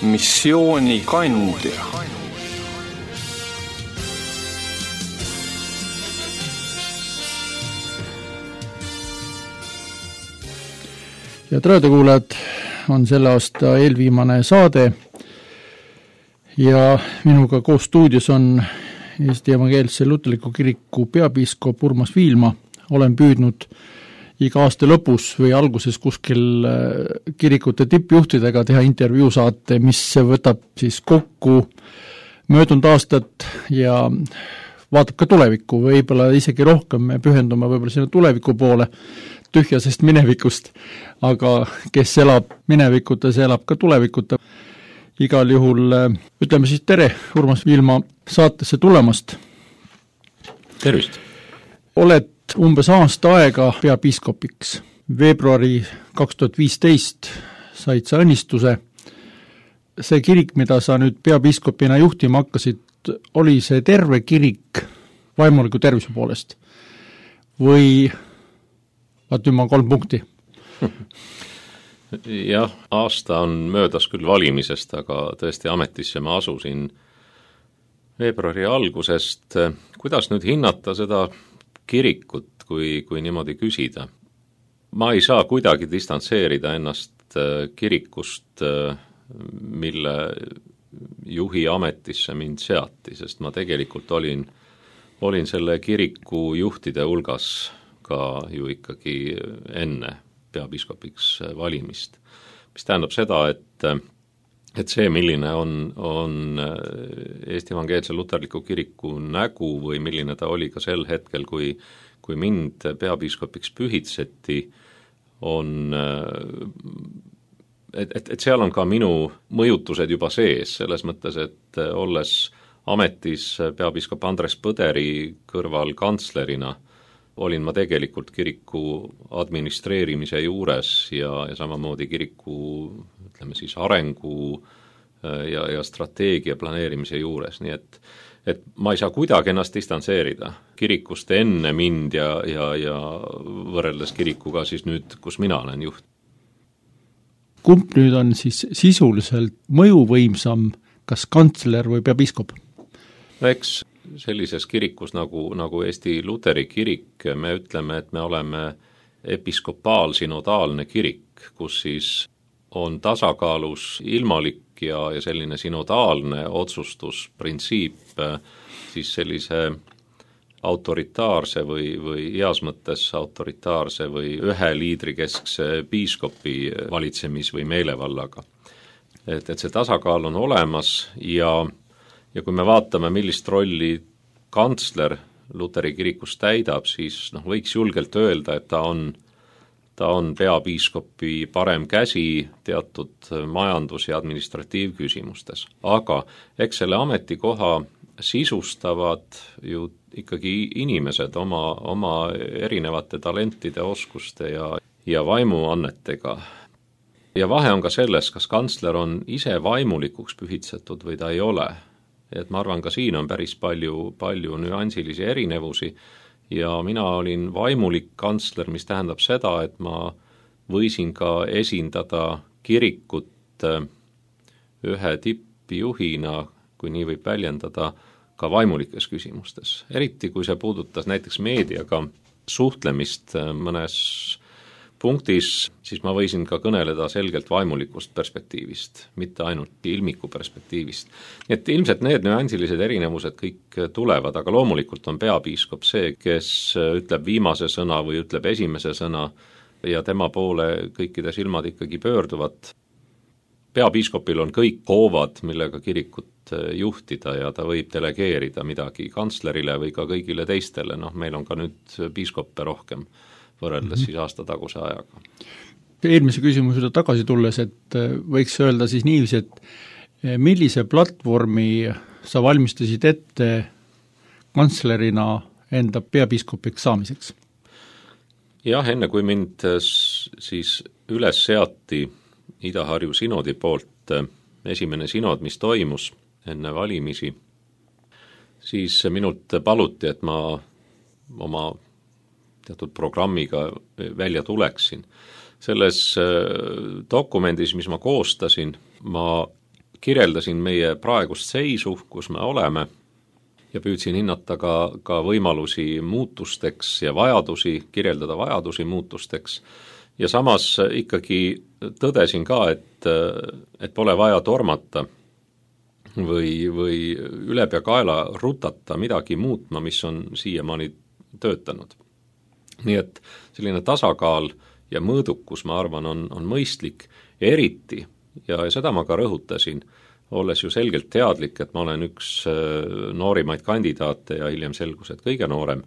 missiooni kandja. ja raadiokuulajad, on selle aasta eelviimane saade ja minuga koos stuudios on Eesti Evangeelse Luterliku Kiriku peapiiskop Urmas Viilma. Olen püüdnud iga aasta lõpus või alguses kuskil kirikute tippjuhtidega teha intervjuu saate, mis võtab siis kokku möödunud aastat ja vaatab ka tulevikku, võib-olla isegi rohkem me pühendume võib-olla sinna tuleviku poole tühjasest minevikust, aga kes elab minevikuta, see elab ka tulevikuta. Igal juhul ütleme siis tere, Urmas Viilma, saatesse tulemast. Tervist! Oled umbes aasta aega peapiiskopiks. Veebruari 2015 said sa õnnistuse. See kirik, mida sa nüüd peapiiskopina juhtima hakkasid, oli see terve kirik vaimuliku tervise poolest? Või vaat nüüd ma 3 punkti? Jah, aasta on möödas küll valimisest, aga tõesti ametisse ma asusin veebruari algusest. Kuidas nüüd hinnata seda kirikut, kui niimoodi küsida? Ma ei saa kuidagi distantseerida ennast kirikust, mille juhi ametisse mind seati, sest ma tegelikult olin selle kiriku juhtide hulgas ka ju ikkagi enne peapiiskopiks valimist. Mis tähendab seda, et see, milline on Eesti Evangeelse Luterliku Kiriku nägu või milline ta oli ka sel hetkel, kui mind peapiiskopiks pühitseti, et seal on ka minu mõjutused juba sees, selles mõttes, et olles ametis peapiiskop Andres Põderi kõrval kantslerina, olin ma tegelikult kiriku administreerimise juures ja samamoodi kiriku, ütleme siis, arengu ja strateegia planeerimise juures, nii et ma ei saa kuidagi ennast distantseerida kirikust enne mind ja võrreldes kirikuga siis nüüd, kus mina olen juht. Kumb nüüd on siis sisuliselt mõjuvõimsam, kas kantsler või peapiiskop? Eks sellises kirikus nagu Eesti Luteri kirik, me ütleme, et me oleme episkopaal-sinodaalne kirik, kus siis on tasakaalus ilmalik ja selline sinodaalne otsustusprintsiip siis sellise autoritaarse või heas mõttes autoritaarse või ühe liidrikeskse piiskopi valitsemis- või meelevallaga. Et see tasakaal on olemas ja kui me vaatame, millist rolli kantsler Luteri kirikus täidab, siis võiks julgelt öelda, et ta on peapiiskopi parem käsi teatud majandus- ja administratiivküsimustes. Aga eks selle ametikoha sisustavad ju ikkagi inimesed oma erinevate talentide, oskuste ja vaimuannetega. Ja vahe on ka selles, kas kantsler on ise vaimulikuks pühitsetud või ta ei ole. Et ma arvan, ka siin on päris palju nüansilisi erinevusi ja mina olin vaimulik kantsler, mis tähendab seda, et ma võisin ka esindada kirikut ühe tippjuhina, kui nii võib väljendada, ka vaimulikes küsimustes. Eriti kui see puudutas näiteks meediaga suhtlemist mõnes punktis, siis ma võisin ka kõneleda selgelt vaimulikust perspektiivist, mitte ainult ilmiku perspektiivist. Nii et ilmselt need nüansilised erinevused kõik tulevad, aga loomulikult on peapiiskop see, kes ütleb viimase sõna või ütleb esimese sõna ja tema poole kõikide silmad ikkagi pöörduvad. Peapiiskopil on kõik hoovad, millega kirikut juhtida ja ta võib delegeerida midagi kantslerile või ka kõigile teistele. Meil on ka nüüd piiskoppe rohkem võrreldes siis aasta taguse ajaga. Eelmise küsimuse tagasi tulles, et võiks öelda siis niiviisi, et millise platvormi sa valmistasid ette kantslerina enda peapiiskopiks saamiseks? Jah, enne kui mind siis üles seati Ida-Harju sinodi poolt, esimene sinod, mis toimus enne valimisi, siis minult paluti, et ma oma teatud programmiga välja tuleksin. Selles dokumendis, mis ma koostasin, ma kirjeldasin meie praegust seisu, kus me oleme, ja püüdsin hinnata ka võimalusi muutusteks ja vajadusi, kirjeldada vajadusi muutusteks. Ja samas ikkagi tõdesin ka, et pole vaja tormata või ülepeakaela rutata midagi muutma, mis on siiamaani töötanud. Nii et selline tasakaal ja mõõdukus, ma arvan, on mõistlik, eriti, ja seda ma ka rõhutasin, olles ju selgelt teadlik, et ma olen üks noorimaid kandidaate ja hiljem selgus, et kõige noorem,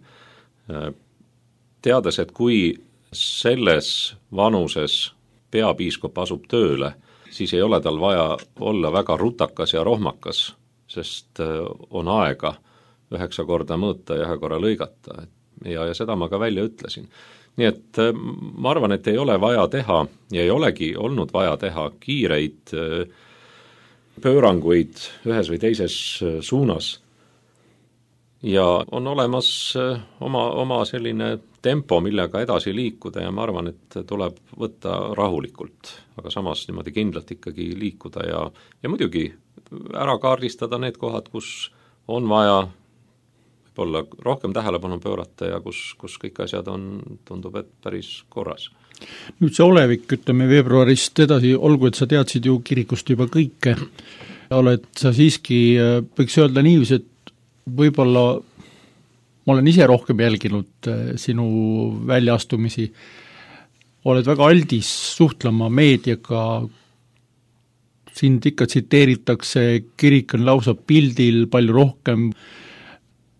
teades, et kui selles vanuses peapiiskop asub tööle, siis ei ole tal vaja olla väga rutakas ja rohmakas, sest on aega 9 korda mõõta ja 1 korra lõigata. Ja seda ma ka välja ütlesin. Nii et ma arvan, et ei ole vaja teha ja ei olegi olnud vaja teha kiireid pööranguid ühes või teises suunas. Ja on olemas oma selline tempo, millega edasi liikuda, ja ma arvan, et tuleb võtta rahulikult, aga samas niimoodi kindlalt ikkagi liikuda ja muidugi ära kaardistada need kohad, kus on vaja võib-olla rohkem tähelepanu pöörata ja kus kõik asjad tundub, et päris korras. Nüüd see olevik, ütleme veebruarist edasi, olgu, et sa teadsid ju kirikust juba kõike, oled sa siiski, võiks öelda niiviisi, et võib-olla ma olen ise rohkem jälginud sinu väljaastumisi, oled väga aldis suhtlema meediaga, sind ikka tsiteeritakse, kirik on lausa pildil palju rohkem.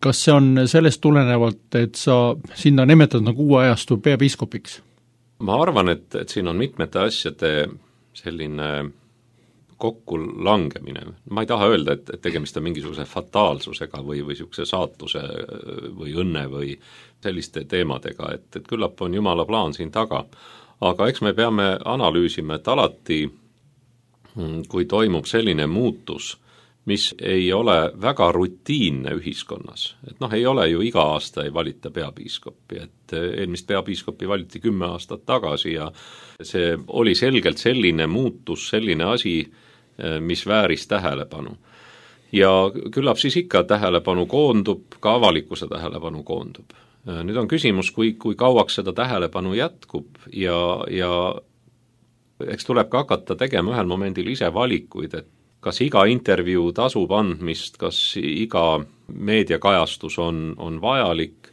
Kas see on sellest tulenevalt, et sa sinna nimetad nagu uue ajastu peapiiskopiks? Ma arvan, et siin on mitmete asjade selline kokku langemine. Ma ei taha öelda, et tegemist on mingisuguse fataalsusega või niisuguse saatuse või õnne või selliste teemadega, et küllap on Jumala plaan siin taga. Aga eks me peame analüüsima, et alati, kui toimub selline muutus, mis ei ole väga rutiinne ühiskonnas. Et ei ole ju iga aasta ei valita peapiiskopi, et eelmist peapiiskopi valiti 10 aastat tagasi ja see oli selgelt selline muutus, selline asi, mis vääris tähelepanu. Ja küllap siis ikka tähelepanu koondub, ka avalikkuse tähelepanu koondub. Nüüd on küsimus, kui kauaks seda tähelepanu jätkub ja eks tuleb ka hakata tegema ühel momendil ise valikuid, et kas iga intervjuu tasub andmist, kas iga meediakajastus on vajalik,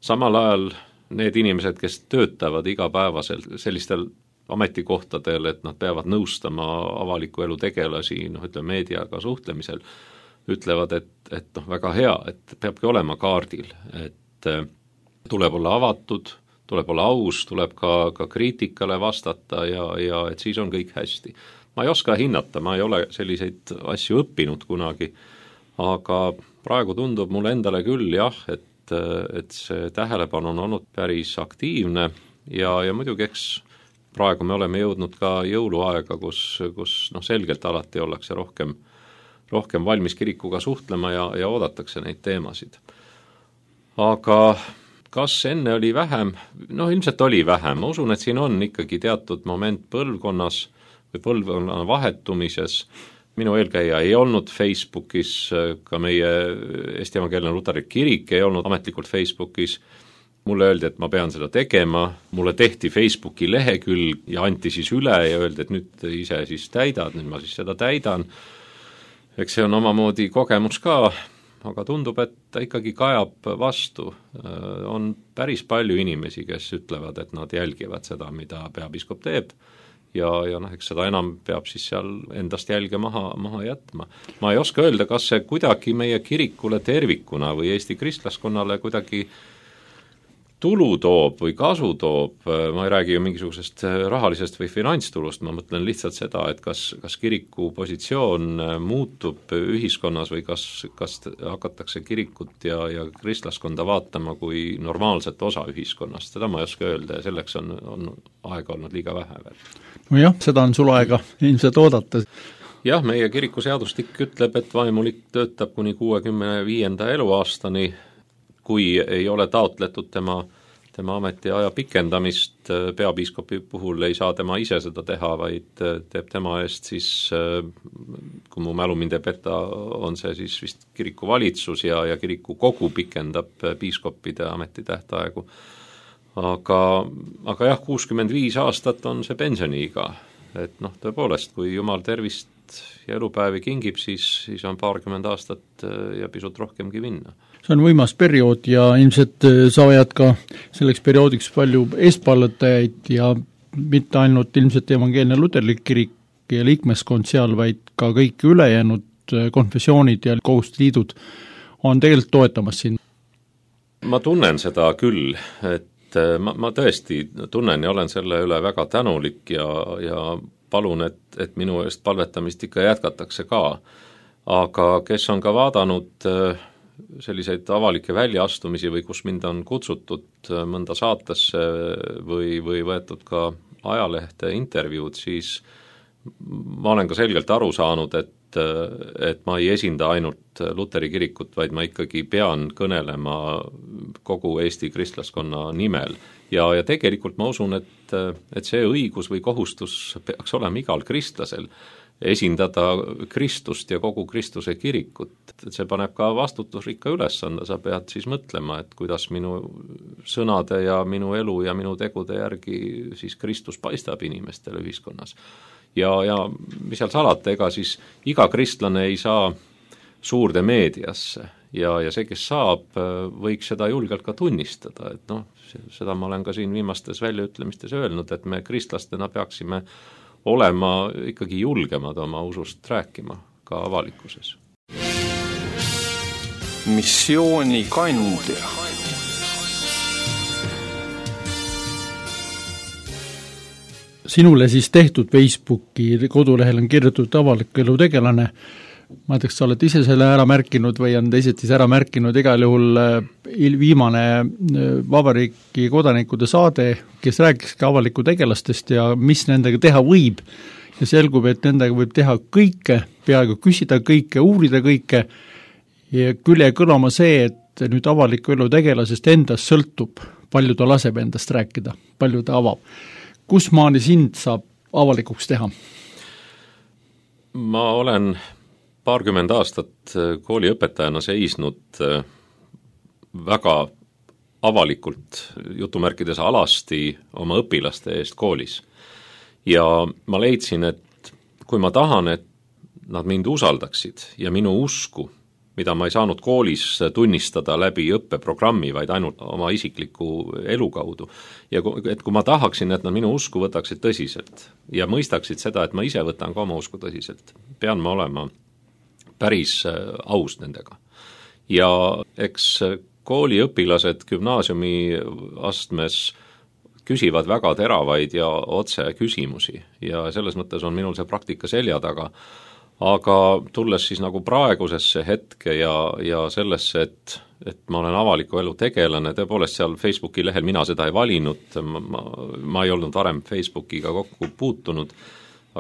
samal ajal need inimesed, kes töötavad igapäevaselt sellistel ametikohtadel, et nad peavad nõustama avaliku elu tegelasi, ütleme meediaga suhtlemisel, ütlevad, et väga hea, et peabki olema kaardil, et tuleb olla avatud, tuleb olla aus, tuleb ka kriitikale vastata ja et siis on kõik hästi. Ma ei oska hinnata, ma ei ole selliseid asju õppinud kunagi, aga praegu tundub mulle endale küll jah, et see tähelepanu on olnud päris aktiivne ja muidugi eks praegu me oleme jõudnud ka jõuluaega, kus selgelt alati ollakse rohkem valmis kirikuga suhtlema ja oodatakse neid teemasid. Aga kas enne oli vähem? Ilmselt oli vähem. Ma usun, et siin on ikkagi teatud moment põlvkonnas või põlvkonna vahetumises. Minu eelkäija ei olnud Facebookis, ka meie Eesti Evangeelne Luterlik Kirik ei olnud ametlikult Facebookis. Mulle öeldi, et ma pean seda tegema, mulle tehti Facebooki lehekülg ja anti siis üle ja öeldi, et nüüd ise siis täidad, nüüd ma siis seda täidan. Eks see on omamoodi kogemus ka, aga tundub, et ta ikkagi kajab vastu. On päris palju inimesi, kes ütlevad, et nad jälgivad seda, mida peapiiskop teeb ja eks seda enam peab siis seal endast jälge maha jätma. Ma ei oska öelda, kas see kuidagi meie kirikule tervikuna või Eesti kristlaskonnale kuidagi tulu toob või kasu toob, ma ei räägi ju mingisugusest rahalisest või finantstulust, ma mõtlen lihtsalt seda, et kas kiriku positsioon muutub ühiskonnas või kas hakatakse kirikut ja kristlaskonda vaatama kui normaalset osa ühiskonnast, seda ma ei oska öelda ja selleks on aega olnud liiga vähe veel. Nojah, seda on sul aega ilmselt oodata. Jah, meie kirikuseadustik ütleb, et vaimulik töötab kuni 65. eluaastani, kui ei ole taotletud tema tema ametiaja pikendamist, peapiiskopi puhul ei saa tema ise seda teha, vaid teeb tema eest siis, kui mu mälu mind ei peta, on see siis vist kirikuvalitsus ja kirikukogu pikendab piiskoppide ametitähtaegu. Aga jah, 65 aastat on see pensioniiga, et tõepoolest, kui Jumal tervist ja elupäevi kingib, siis on 20 aastat ja pisut rohkemgi minna. See on võimas periood ja ilmselt saavad ka selleks perioodiks palju eestpallatajaid ja mitte ainult ilmselt evangeelne luterlik kirik ja liikmeskond seal, vaid ka kõik ülejäänud konfessioonid ja kogudusliidud on tegelikult toetamas siin. Ma tunnen seda küll, et ma tõesti tunnen ja olen selle üle väga tänulik ja palun, et minu eest palvetamist ikka jätkatakse ka. Aga kes on ka vaadanud selliseid avalikke väljaastumisi või kus mind on kutsutud mõnda saatesse või võetud ka ajalehte intervjuud, siis ma olen ka selgelt aru saanud, et ma ei esinda ainult Luteri kirikut, vaid ma ikkagi pean kõnelema kogu Eesti kristlaskonna nimel. Ja tegelikult ma usun, et see õigus või kohustus peaks olema igal kristlasel esindada Kristust ja kogu Kristuse kirikut. Et see paneb ka vastutusrikka ülesande, sa pead siis mõtlema, et kuidas minu sõnade ja minu elu ja minu tegude järgi siis Kristus paistab inimestele ühiskonnas. Ja mis seal salata, ega siis iga kristlane ei saa suurde meediasse ja see, kes saab, võiks seda julgelt ka tunnistada, et seda ma olen ka siin viimastes väljaütlemistes öelnud, et me kristlastena peaksime olema ikkagi julgemad oma usust rääkima ka avalikkuses. Missiooni kandja. Sinule siis tehtud Facebooki kodulehel on kirjutatud avaliku elu tegelane. Ma teaks, sa oled ise selle ära märkinud või on teised siis ära märkinud, igal juhul viimane vabariigi kodanikude saade, kes rääkis ka avaliku tegelastest ja mis nendega teha võib. Ja selgub, et nendega võib teha kõike, peaaegu küsida kõike, uurida kõike ja küll jäi kõlama see, et nüüd avaliku elu tegelasest endast sõltub, palju ta laseb endast rääkida, palju ta avab. Kus maani sind saab avalikuks teha? Ma olen 20 aastat kooliõpetajana seisnud väga avalikult jutumärkides alasti oma õpilaste eest koolis. Ja ma leidsin, et kui ma tahan, et nad mind usaldaksid ja minu usku, mida ma ei saanud koolis tunnistada läbi õppeprogrammi, vaid ainult oma isikliku elu kaudu. Ja et kui ma tahaksin, et nad minu usku võtaksid tõsiselt ja mõistaksid seda, et ma ise võtan ka oma usku tõsiselt, pean ma olema päris aus nendega. Ja eks kooliõpilased gümnaasiumi astmes küsivad väga teravaid ja otse küsimusi ja selles mõttes on minul see praktika selja taga. Aga tulles siis nagu praegusesse hetke ja sellesse, et ma olen avaliku elu tegelane, tõepoolest seal Facebooki lehel mina seda ei valinud, ma ei olnud varem Facebookiga kokku puutunud,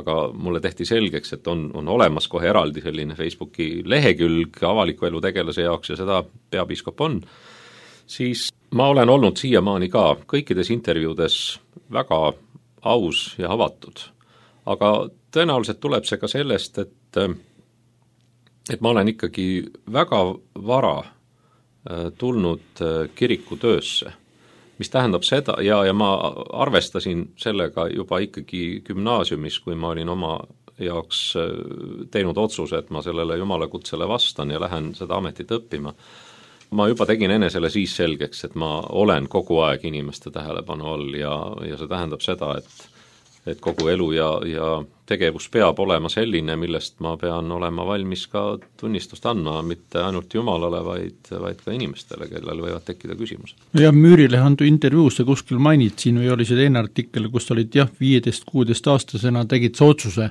aga mulle tehti selgeks, et on olemas kohe eraldi selline Facebooki lehekülg avaliku elu tegelase jaoks ja seda peapiiskop on, siis ma olen olnud siiamaani ka kõikides intervjuudes väga aus ja avatud. Aga tõenäoliselt tuleb see ka sellest, et ma olen ikkagi väga vara tulnud kirikutöösse, mis tähendab seda, ja ma arvestasin sellega juba ikkagi gümnaasiumis, kui ma olin oma jaoks teinud otsuse, et ma sellele Jumala kutsele vastan ja lähen seda ametit õppima. Ma juba tegin enesele siis selgeks, et ma olen kogu aeg inimeste tähelepanu all ja see tähendab seda, et kogu elu ja tegevus peab olema selline, millest ma pean olema valmis ka tunnistust andma, mitte ainult Jumalale, vaid ka inimestele, kellel võivad tekkida küsimused. Ja Müürilehe andu intervjuus sa kuskil mainid siin või oli see teine artikkel, kus olid 15-16 aastasena tegid sa otsuse,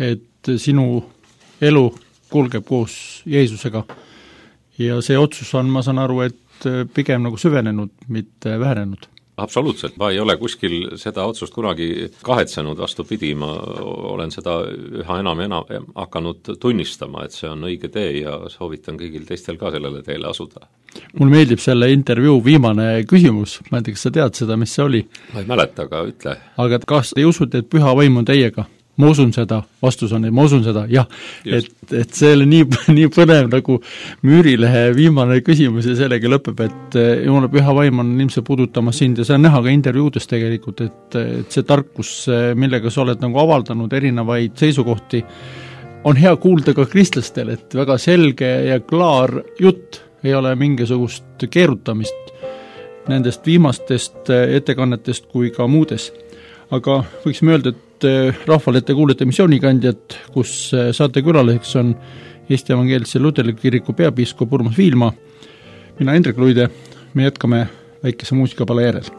et sinu elu kulgeb koos Jeesusega ja see otsus on, ma saan aru, et pigem nagu süvenenud, mitte vähenenud. Absoluutselt, ma ei ole kuskil seda otsust kunagi kahetsenud, vastupidi, ma olen seda üha enam hakanud tunnistama, et see on õige tee ja soovitan kõigil teistel ka sellele teele asuda. Mul meeldib selle intervjuu viimane küsimus, ma ei tea, kas sa tead seda, mis see oli? Ma ei mäleta, aga ütle. Aga kas te usute, et püha vaim on teiega? Ma usun seda, vastus on, et ma usun seda, jah. Et see oli nii põnev nagu Müürilehe viimane küsimus ja sellega lõpeb, et Jumala püha vaim on ilmselt puudutamas sind ja see on näha ka intervjuudes tegelikult, et see tarkus, millega sa oled nagu avaldanud erinevaid seisukohti, on hea kuulda ka kristlastel, et väga selge ja klaar jutt, ei ole mingisugust keerutamist nendest viimastest ettekannetest kui ka muudes. Aga võiksime öelda, et rahvale te kuulete missioonikandjat, kus saatekülaliseks on Eesti Evangeelse Luterliku Kiriku peapiiskop Urmas Viilma. Mina Hendrik Luide, me jätkame väikese muusikapala järel.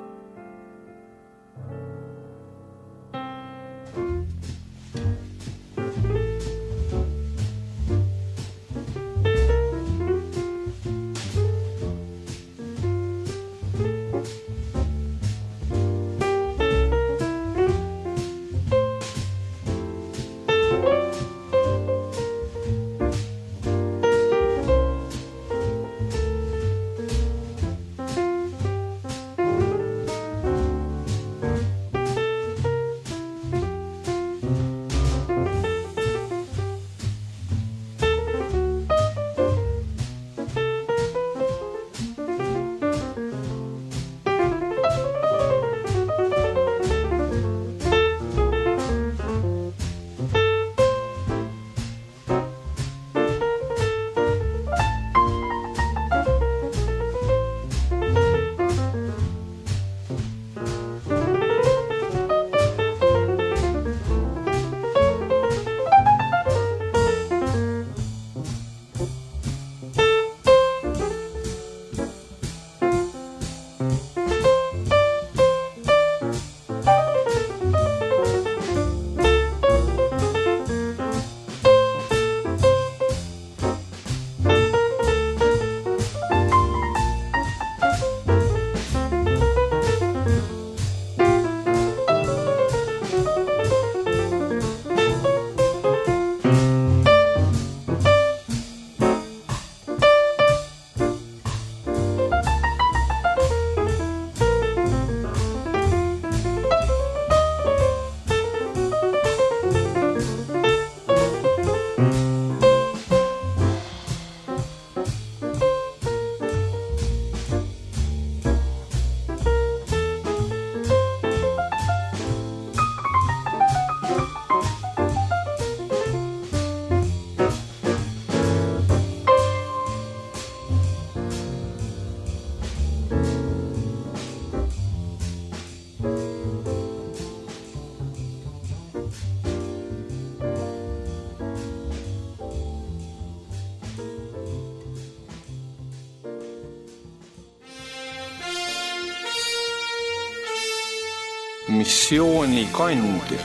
Missioonikandja.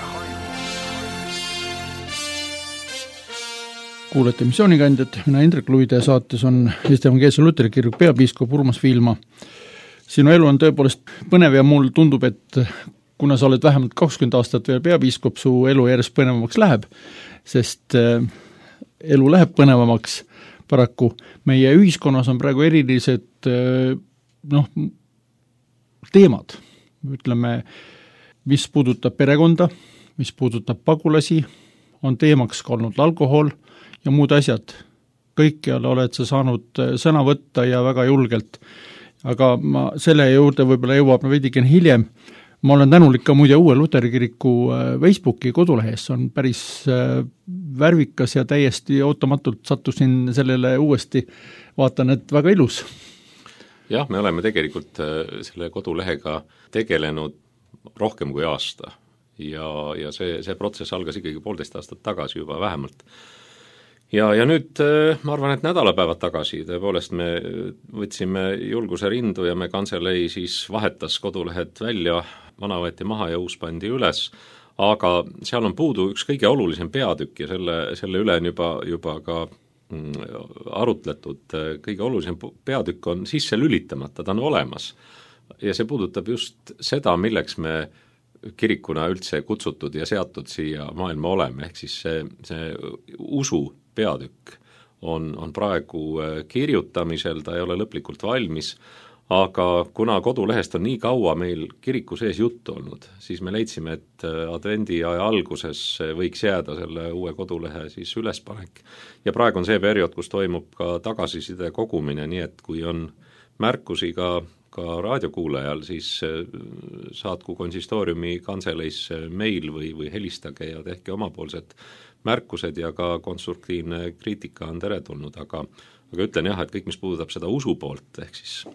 Kuulete missioonikandjat, mina Hendrik Luide, saates on Eesti Evangeelse Luterliku Kiriku peapiiskop Urmas Viilma. Sinu elu on tõepoolest põnev ja mul tundub, et kuna sa oled vähemalt 20 aastat veel peapiiskop, su elu järjest põnevamaks läheb, sest elu läheb põnevamaks paraku. Meie ühiskonnas on praegu erilised teemad, ütleme, mis puudutab perekonda, mis puudutab pagulasi, on teemaks ka olnud alkohol ja muud asjad. Kõikjal oled sa saanud sõna võtta ja väga julgelt. Aga ma selle juurde võib-olla jõuab veidikene hiljem. Ma olen tänulik ka muide uue Luteri kiriku Facebooki kodulehes, on päris värvikas ja täiesti ootamatult sattusin sellele uuesti. Vaatan, et väga ilus. Jah, me oleme tegelikult selle kodulehega tegelenud rohkem kui aasta ja see protsess algas ikkagi 1,5 aastat tagasi juba vähemalt. Ja nüüd ma arvan, et nädalapäevad tagasi tõepoolest me võtsime julguse rindu ja me kanselei siis vahetas kodulehed välja, vana võeti maha ja uus pandi üles, aga seal on puudu üks kõige olulisem peatükk ja selle üle on juba ka arutletud. Kõige olulisem peatükk on sisse lülitamata, ta on olemas, ja see puudutab just seda, milleks me kirikuna üldse kutsutud ja seatud siia maailma oleme, ehk siis see usu peatükk on praegu kirjutamisel, ta ei ole lõplikult valmis, aga kuna kodulehest on nii kaua meil kiriku sees juttu olnud, siis me leidsime, et advendiaja alguses võiks jääda selle uue kodulehe siis ülespanek. Ja praegu on see periood, kus toimub ka tagasiside kogumine, nii et kui on märkusi ka raadiokuulajal, siis saatku konsistooriumi kantseleis meil või helistage ja tehke omapoolsed märkused ja ka konstruktiivne kriitika on teretulnud, aga ütlen jah, et kõik, mis puudutab seda usu poolt, ehk siis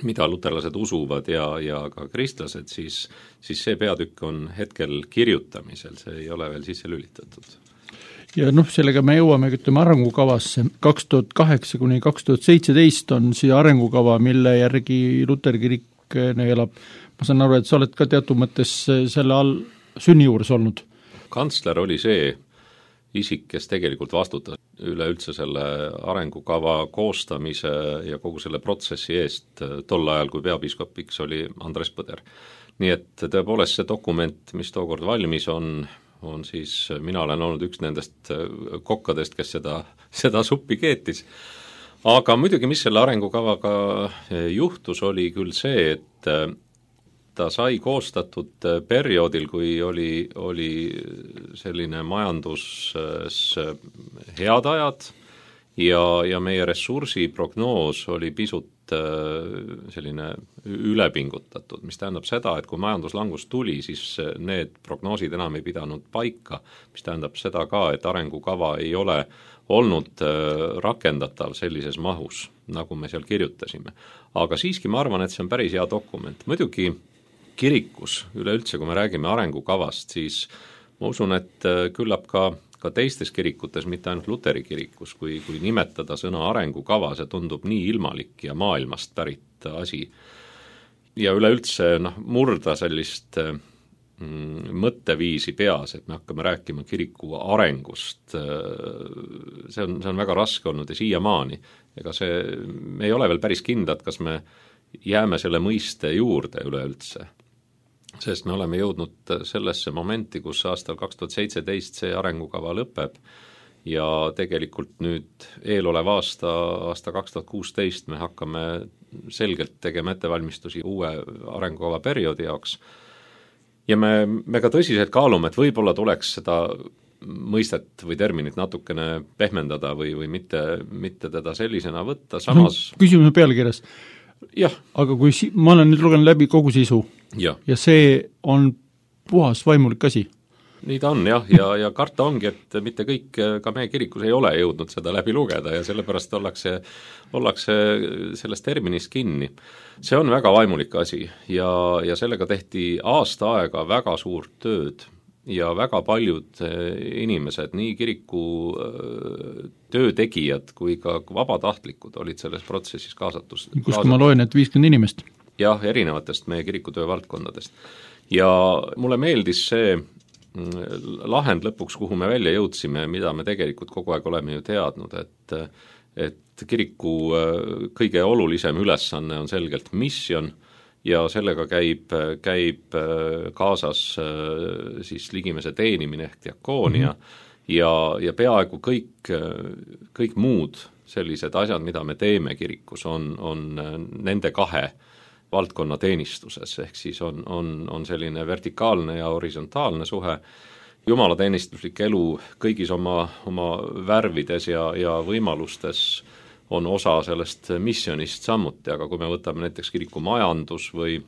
mida luterlased usuvad ja ka kristlased, siis see peatükk on hetkel kirjutamisel, see ei ole veel sisse lülitatud. Ja sellega me jõuame, ütleme, arengukavasse. 2008–2017 on siia arengukava, mille järgi Luterkirik neelab. Ma saan aru, et sa oled ka teatud mõttes selle all sünni juures olnud. Kantsler oli see isik, kes tegelikult vastutas üleüldse selle arengukava koostamise ja kogu selle protsessi eest tol ajal, kui peapiiskopiks oli Andres Põder. Nii et tõepoolest see dokument, mis tookord valmis on siis, mina olen olnud üks nendest kokkadest, kes seda suppi keetis. Aga muidugi, mis selle arengukavaga juhtus, oli küll see, et ta sai koostatud perioodil, kui oli selline majanduses head ajad ja meie ressursiprognoos oli pisut selline ülepingutatud, mis tähendab seda, et kui majanduslangus tuli, siis need prognoosid enam ei pidanud paika, mis tähendab seda ka, et arengukava ei ole olnud rakendatav sellises mahus, nagu me seal kirjutasime. Aga siiski ma arvan, et see on päris hea dokument. Muidugi kirikus üleüldse, kui me räägime arengukavast, siis ma usun, et küllap ka teistes kirikutes, mitte ainult Luteri kirikus, kui nimetada sõna arengukava, see tundub nii ilmalik ja maailmast pärit asi. Ja üleüldse murda sellist mõtteviisi peas, et me hakkame rääkima kiriku arengust, see on väga raske olnud ja siiamaani. Ega me ei ole veel päris kindlad, kas me jääme selle mõiste juurde üleüldse. Sest me oleme jõudnud sellesse momenti, kus aastal 2017 see arengukava lõpeb ja tegelikult nüüd eelolev aasta 2016 me hakkame selgelt tegema ettevalmistusi uue arengukava perioodi jaoks. Ja me ka tõsiselt kaalume, et võib-olla tuleks seda mõistet või terminit natukene pehmendada või mitte teda sellisena võtta, samas Küsimus pealkirjas. Jah. Aga kui ma olen nüüd lugenud läbi kogu sisu ja see on puhas vaimulik asi. Nii ta on jah, ja karta ongi, et mitte kõik ka meie kirikus ei ole jõudnud seda läbi lugeda ja sellepärast ollakse sellest terminist kinni. See on väga vaimulik asi ja sellega tehti aasta aega väga suurt tööd ja väga paljud inimesed, nii kiriku töötegijad kui ka vabatahtlikud olid selles protsessis kaasatus. Kus ma loen, et 50 inimest? Jah, erinevatest meie kirikutöö valdkondadest. Ja mulle meeldis see lahend lõpuks, kuhu me välja jõudsime, mida me tegelikult kogu aeg oleme ju teadnud, et kiriku kõige olulisem ülesanne on selgelt misjon ja sellega käib kaasas siis ligimese teenimine ehk diakoonia ja peaaegu kõik muud sellised asjad, mida me teeme kirikus, on nende kahe valdkonna teenistuses, ehk siis on selline vertikaalne ja horisontaalne suhe, jumalateenistuslik elu kõigis oma värvides ja võimalustes on osa sellest missionist samuti, aga kui me võtame näiteks kiriku majandus või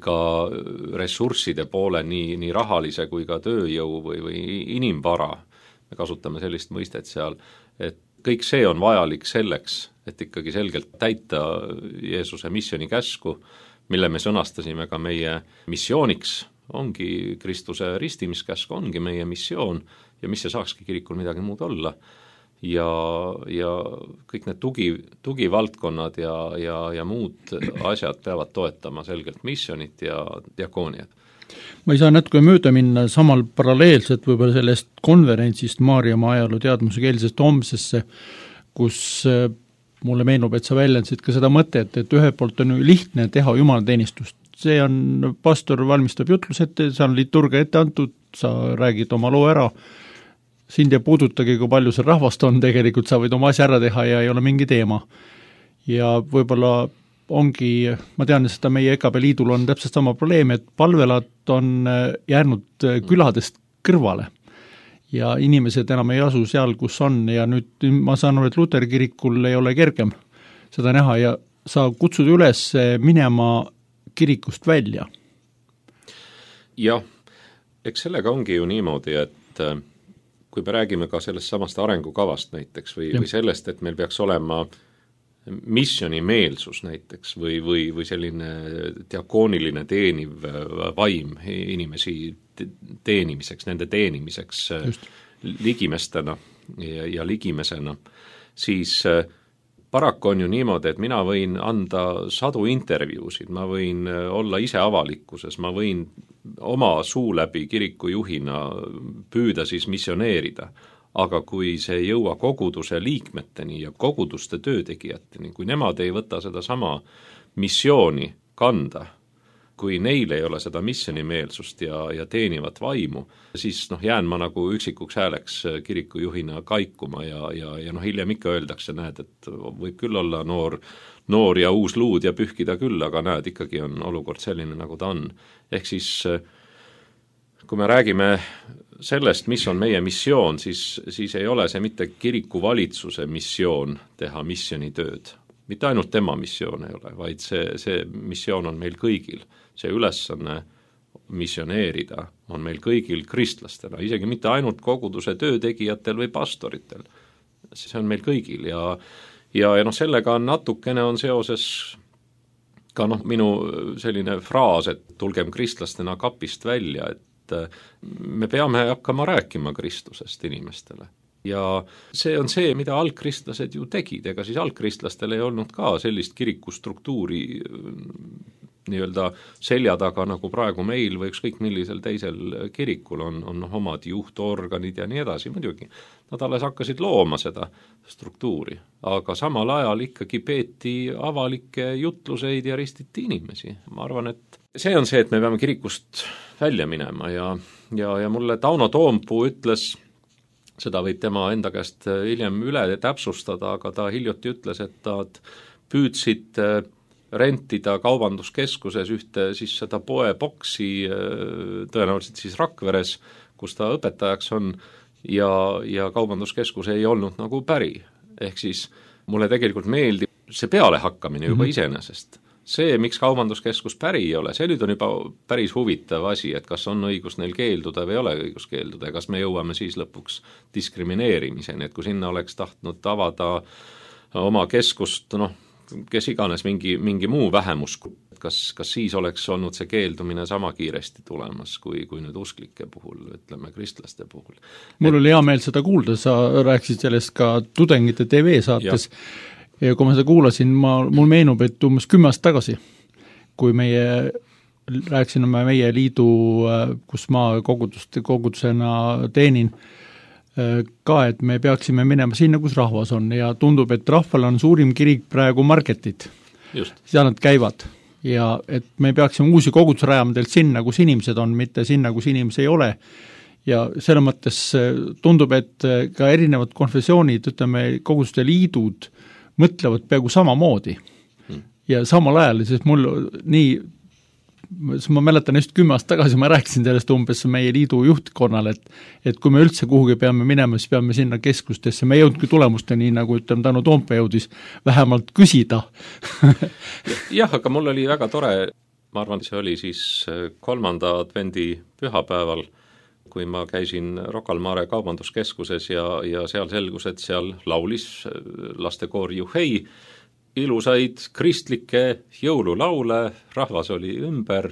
ka ressursside poole, nii rahalise kui ka tööjõu või inimvara, me kasutame sellist mõistet seal, et kõik see on vajalik selleks, et ikkagi selgelt täita Jeesuse missioni käsku, mille me sõnastasime ka meie missiooniks, ongi Kristuse ristimiskäsk, ongi meie missioon ja mis see saakski kirikul midagi muud olla. Ja kõik need tugivaldkonnad ja muud asjad peavad toetama selgelt missionit ja diakooniat. Ma ei saa natuke mööda minna samal paralleelselt võib-olla sellest konverentsist Maarjamaa ajaloo teadmusekeelsest homsesse, kus mulle meenub, et sa väljendasid ka seda mõtet, et ühelt poolt on ju lihtne teha jumalateenistust. See on, pastor valmistab jutlus ette, see on liturgia ette antud, sa räägid oma loo ära, sind ei puudutagi, kui palju see rahvast on, tegelikult sa võid oma asja ära teha ja ei ole mingi teema. Ja võib-olla ongi, ma tean, seda meie EKB liidul on täpselt sama probleem, et palvelad on jäänud küladest kõrvale. Ja inimesed enam ei asu seal, kus on, ja nüüd ma saan aru, et Luteri kirikul ei ole kergem seda näha ja sa kutsud üles minema kirikust välja. Jah, eks sellega ongi ju niimoodi, et kui me räägime ka sellest samast arengukavast näiteks või sellest, et meil peaks olema missionimeelsus näiteks või selline diakooniline teeniv vaim inimesi teenimiseks, nende teenimiseks ligimestena ja ligimesena, siis paraku on ju niimoodi, et mina võin anda sadu intervjuusid, ma võin olla ise avalikkuses, ma võin oma suu läbi kirikujuhina püüda siis missioneerida, aga kui see ei jõua koguduse liikmeteni ja koguduste töötegijateni, kui nemad ei võta seda sama missiooni kanda, kui neil ei ole seda missionimeelsust ja teenivat vaimu, siis jään ma nagu üksikuks hääleks kirikujuhina kaikuma ja hiljem ikka öeldakse, näed, et võib küll olla noor ja uus luud ja pühkida küll, aga näed, ikkagi on olukord selline, nagu ta on. Ehk siis, kui me räägime sellest, mis on meie missioon, siis ei ole see mitte kirikuvalitsuse missioon teha missionitööd. Mitte ainult tema missioon ei ole, vaid see missioon on meil kõigil. See ülesanne missioneerida on meil kõigil kristlastena, isegi mitte ainult koguduse töötegijatel või pastoritel. See on meil kõigil ja sellega natukene on seoses ka minu selline fraas, et tulgem kristlastena kapist välja, et me peame hakkama rääkima Kristusest inimestele. Ja see on see, mida algkristlased ju tegid, ega siis algkristlastel ei olnud ka sellist kirikustruktuuri nii-öelda selja taga, nagu praegu meil või ükskõik millisel teisel kirikul on omad juhtorganid ja nii edasi, muidugi. Nad alles hakkasid looma seda struktuuri, aga samal ajal ikkagi peeti avalikke jutluseid ja ristiti inimesi. Ma arvan, et see on see, et me peame kirikust välja minema ja mulle Tauno Toompuu ütles, seda võib tema enda käest hiljem üle täpsustada, aga ta hiljuti ütles, et nad püüdsid rentida kaubanduskeskuses ühte siis seda poeboksi, tõenäoliselt siis Rakveres, kus ta õpetajaks on, ja kaubanduskeskus ei olnud nagu päri. Ehk siis mulle tegelikult meeldib see pealehakkamine juba iseenesest. See, miks kaubanduskeskus päri ei ole, see nüüd on juba päris huvitav asi, et kas on õigus neil keelduda või ei ole õigus keelduda ja kas me jõuame siis lõpuks diskrimineerimiseni, et kui sinna oleks tahtnud avada oma keskust, kes iganes mingi muu vähemus, kas siis oleks olnud see keeldumine sama kiiresti tulemas kui nüüd usklike puhul, ütleme kristlaste puhul. Mul oli hea meel seda kuulda, sa rääkisid sellest ka Tudengite TV saates ja kui ma seda kuulasin, mul meenub, et umbes 10 aastat tagasi, kui rääkisime meie liidu, kus ma kogudusena teenin, ka, et me peaksime minema sinna, kus rahvas on ja tundub, et rahval on suurim kirik praegu marketid. Seal nad käivad ja et me peaksime uusi kogudusi rajama teilt sinna, kus inimesed on, mitte sinna, kus inimesi ei ole. Ja selle mõttes tundub, et ka erinevad konfessioonid, ütleme, koguduste liidud mõtlevad peaaegu samamoodi. Ja samal ajal, sest mul ma mäletan just 10 aastat tagasi, ma rääkisin sellest umbes meie liidu juhtkonnale, et kui me üldse kuhugi peame minema, siis peame sinna keskustesse, me ei jõudnudki tulemusteni, nagu ütleme, Tauno Toompuu jõudis vähemalt küsida. Jah, aga mul oli väga tore, ma arvan, see oli siis 3. advendi pühapäeval, kui ma käisin Rocca al Mare kaubanduskeskuses ja seal selgus, et seal laulis lastekoor Juhei, ilusaid kristlikke jõululaule, rahvas oli ümber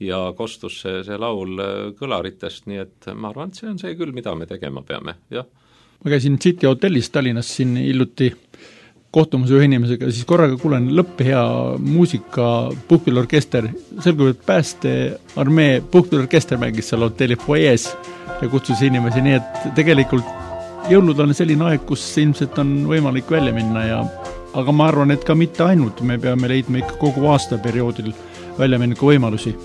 ja kostus see laul kõlaritest, nii et ma arvan, et see on see küll, mida me tegema peame, jah. Ma käisin City hotellis Tallinnas siin hiljuti kohtumas ühe inimesega, siis korraga kuulen lõppehea muusika, puhkpillorkester, selgub, et päästearmee puhkpillorkester mängis seal hotelli foyees ja kutsus inimesi, nii et tegelikult jõulud on selline aeg, kus ilmselt on võimalik välja minna ja aga ma arvan, et ka mitte ainult, me peame leidma ikka kogu aastaperioodil väljamineku võimalusi.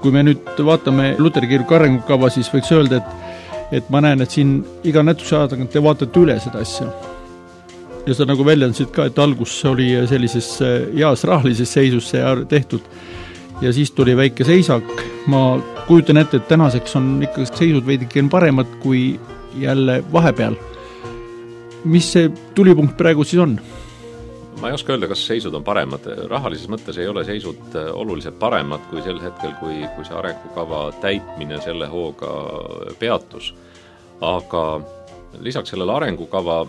Kui me nüüd vaatame Luteri kiriku arengukava, siis võiks öelda, et ma näen, et siin iga nätuse aja tagant te vaatate üle seda asja. Ja sa nagu väljendasid ka, et algus oli sellises heas rahalises seisus see tehtud ja siis tuli väike seisak. Ma kujutan ette, et tänaseks on ikka seisud veidike paremad kui jälle vahepeal. Mis see tulipunkt praegu siis on? Ma ei oska öelda, kas seisud on paremad. Rahalises mõttes ei ole seisud oluliselt paremad kui sel hetkel, kui see arengukava täitmine selle hooga peatus. Aga lisaks sellele arengukava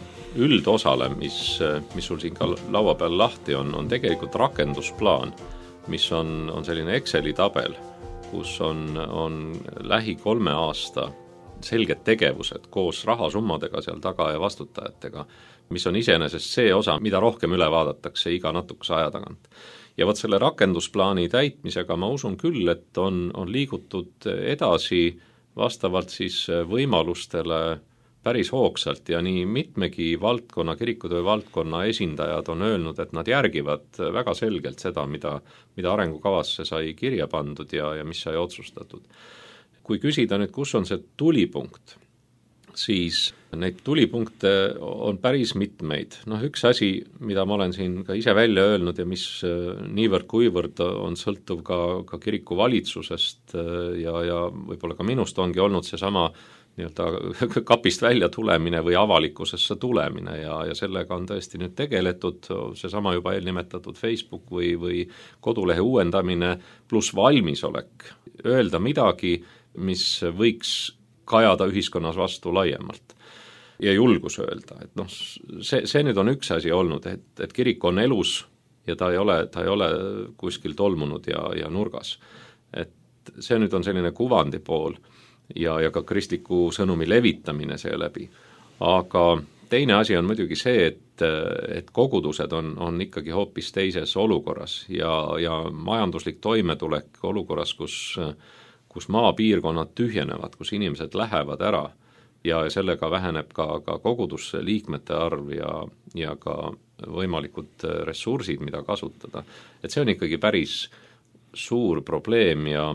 üldosale, mis sul siin ka laua peal lahti on tegelikult rakendusplaan, mis on selline Exceli tabel, kus on lähi 3 aasta selged tegevused koos rahasummadega seal taga ja vastutajatega, mis on iseenesest see osa, mida rohkem üle vaadatakse iga natukese aja tagant. Ja võt selle rakendusplaani täitmisega ma usun küll, et on liigutud edasi vastavalt siis võimalustele päris hoogsalt ja nii mitmegi valdkonna, kirikutöö valdkonna esindajad on öelnud, et nad järgivad väga selgelt seda, mida arengukavasse sai kirja pandud ja mis sai otsustatud. Kui küsida nüüd, kus on see tulipunkt, siis neid tulipunkte on päris mitmeid. Üks asi, mida ma olen siin ka ise välja öelnud ja mis niivõrd kuivõrd on sõltuv ka kiriku valitsusest ja võib-olla ka minust ongi olnud seesama nii-öelda kapist välja tulemine või avalikkusesse tulemine ja sellega on tõesti nüüd tegeletud, seesama juba eelnimetatud Facebook või kodulehe uuendamine pluss valmisolek öelda midagi, mis võiks kajada ühiskonnas vastu laiemalt ja julgus öelda, et see nüüd on üks asi olnud, et kirik on elus ja ta ei ole kuskil tolmunud ja nurgas. Et see nüüd on selline kuvandi pool ja ka kristliku sõnumi levitamine seeläbi. Aga teine asi on muidugi see, et kogudused on ikkagi hoopis teises olukorras ja majanduslik toimetulek olukorras, kus maapiirkonnad tühjenevad, kus inimesed lähevad ära ja sellega väheneb ka kogudusse liikmete arv ja ka võimalikud ressursid, mida kasutada. Et see on ikkagi päris suur probleem ja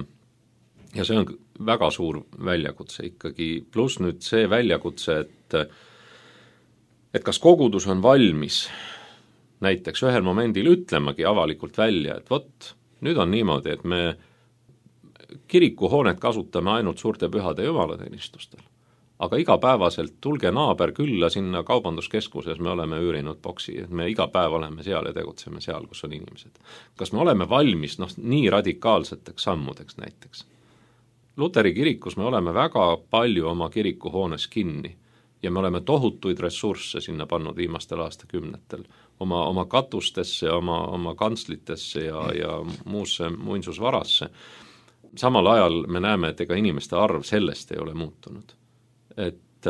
see on väga suur väljakutse ikkagi. Plus nüüd see väljakutse, et kas kogudus on valmis näiteks ühel momendil ütlemagi avalikult välja, et vot, nüüd on niimoodi, et me kirikuhoonet kasutame ainult suurte pühade jumalateenistustel. Aga igapäevaselt tulge naaber külla sinna kaubanduskeskuses, me oleme üürinud boksi, et me iga päev oleme seal ja tegutseme seal, kus on inimesed. Kas me oleme valmis nii radikaalseteks sammudeks näiteks? Luteri kirikus me oleme väga palju oma kirikuhoones kinni ja me oleme tohutuid ressursse sinna pannud viimastel aastakümnetel. Oma katustesse, oma kantslitesse ja muusse muinsusvarasse. Samal ajal me näeme, et ega inimeste arv sellest ei ole muutunud. Et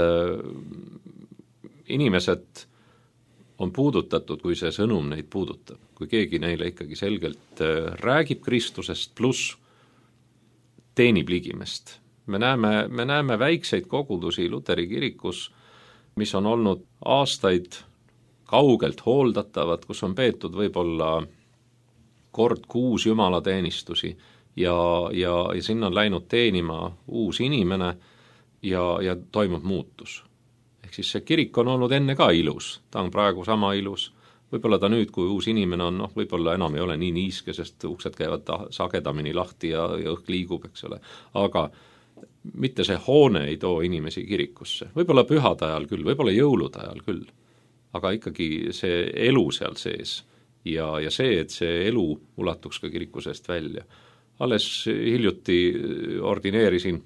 inimesed on puudutatud, kui see sõnum neid puudutab. Kui keegi neile ikkagi selgelt räägib Kristusest pluss teenib ligimest. Me näeme väikseid kogudusi Luteri kirikus, mis on olnud aastaid kaugelt hooldatavad, kus on peetud võib-olla kord kuus jumalateenistusi ja sinna on läinud teenima uus inimene ja toimub muutus. Ehk siis see kirik on olnud enne ka ilus, ta on praegu sama ilus. Võib-olla ta nüüd, kui uus inimene on, võib-olla enam ei ole nii niiske, sest uksed käivad sagedamini lahti ja õhk liigub, eks ole. Aga mitte see hoone ei too inimesi kirikusse. Võib-olla pühade ajal küll, võib-olla jõulude ajal küll. Aga ikkagi see elu seal sees ja see, et see elu ulatuks ka kiriku seest välja. Alles hiljuti ordineerisin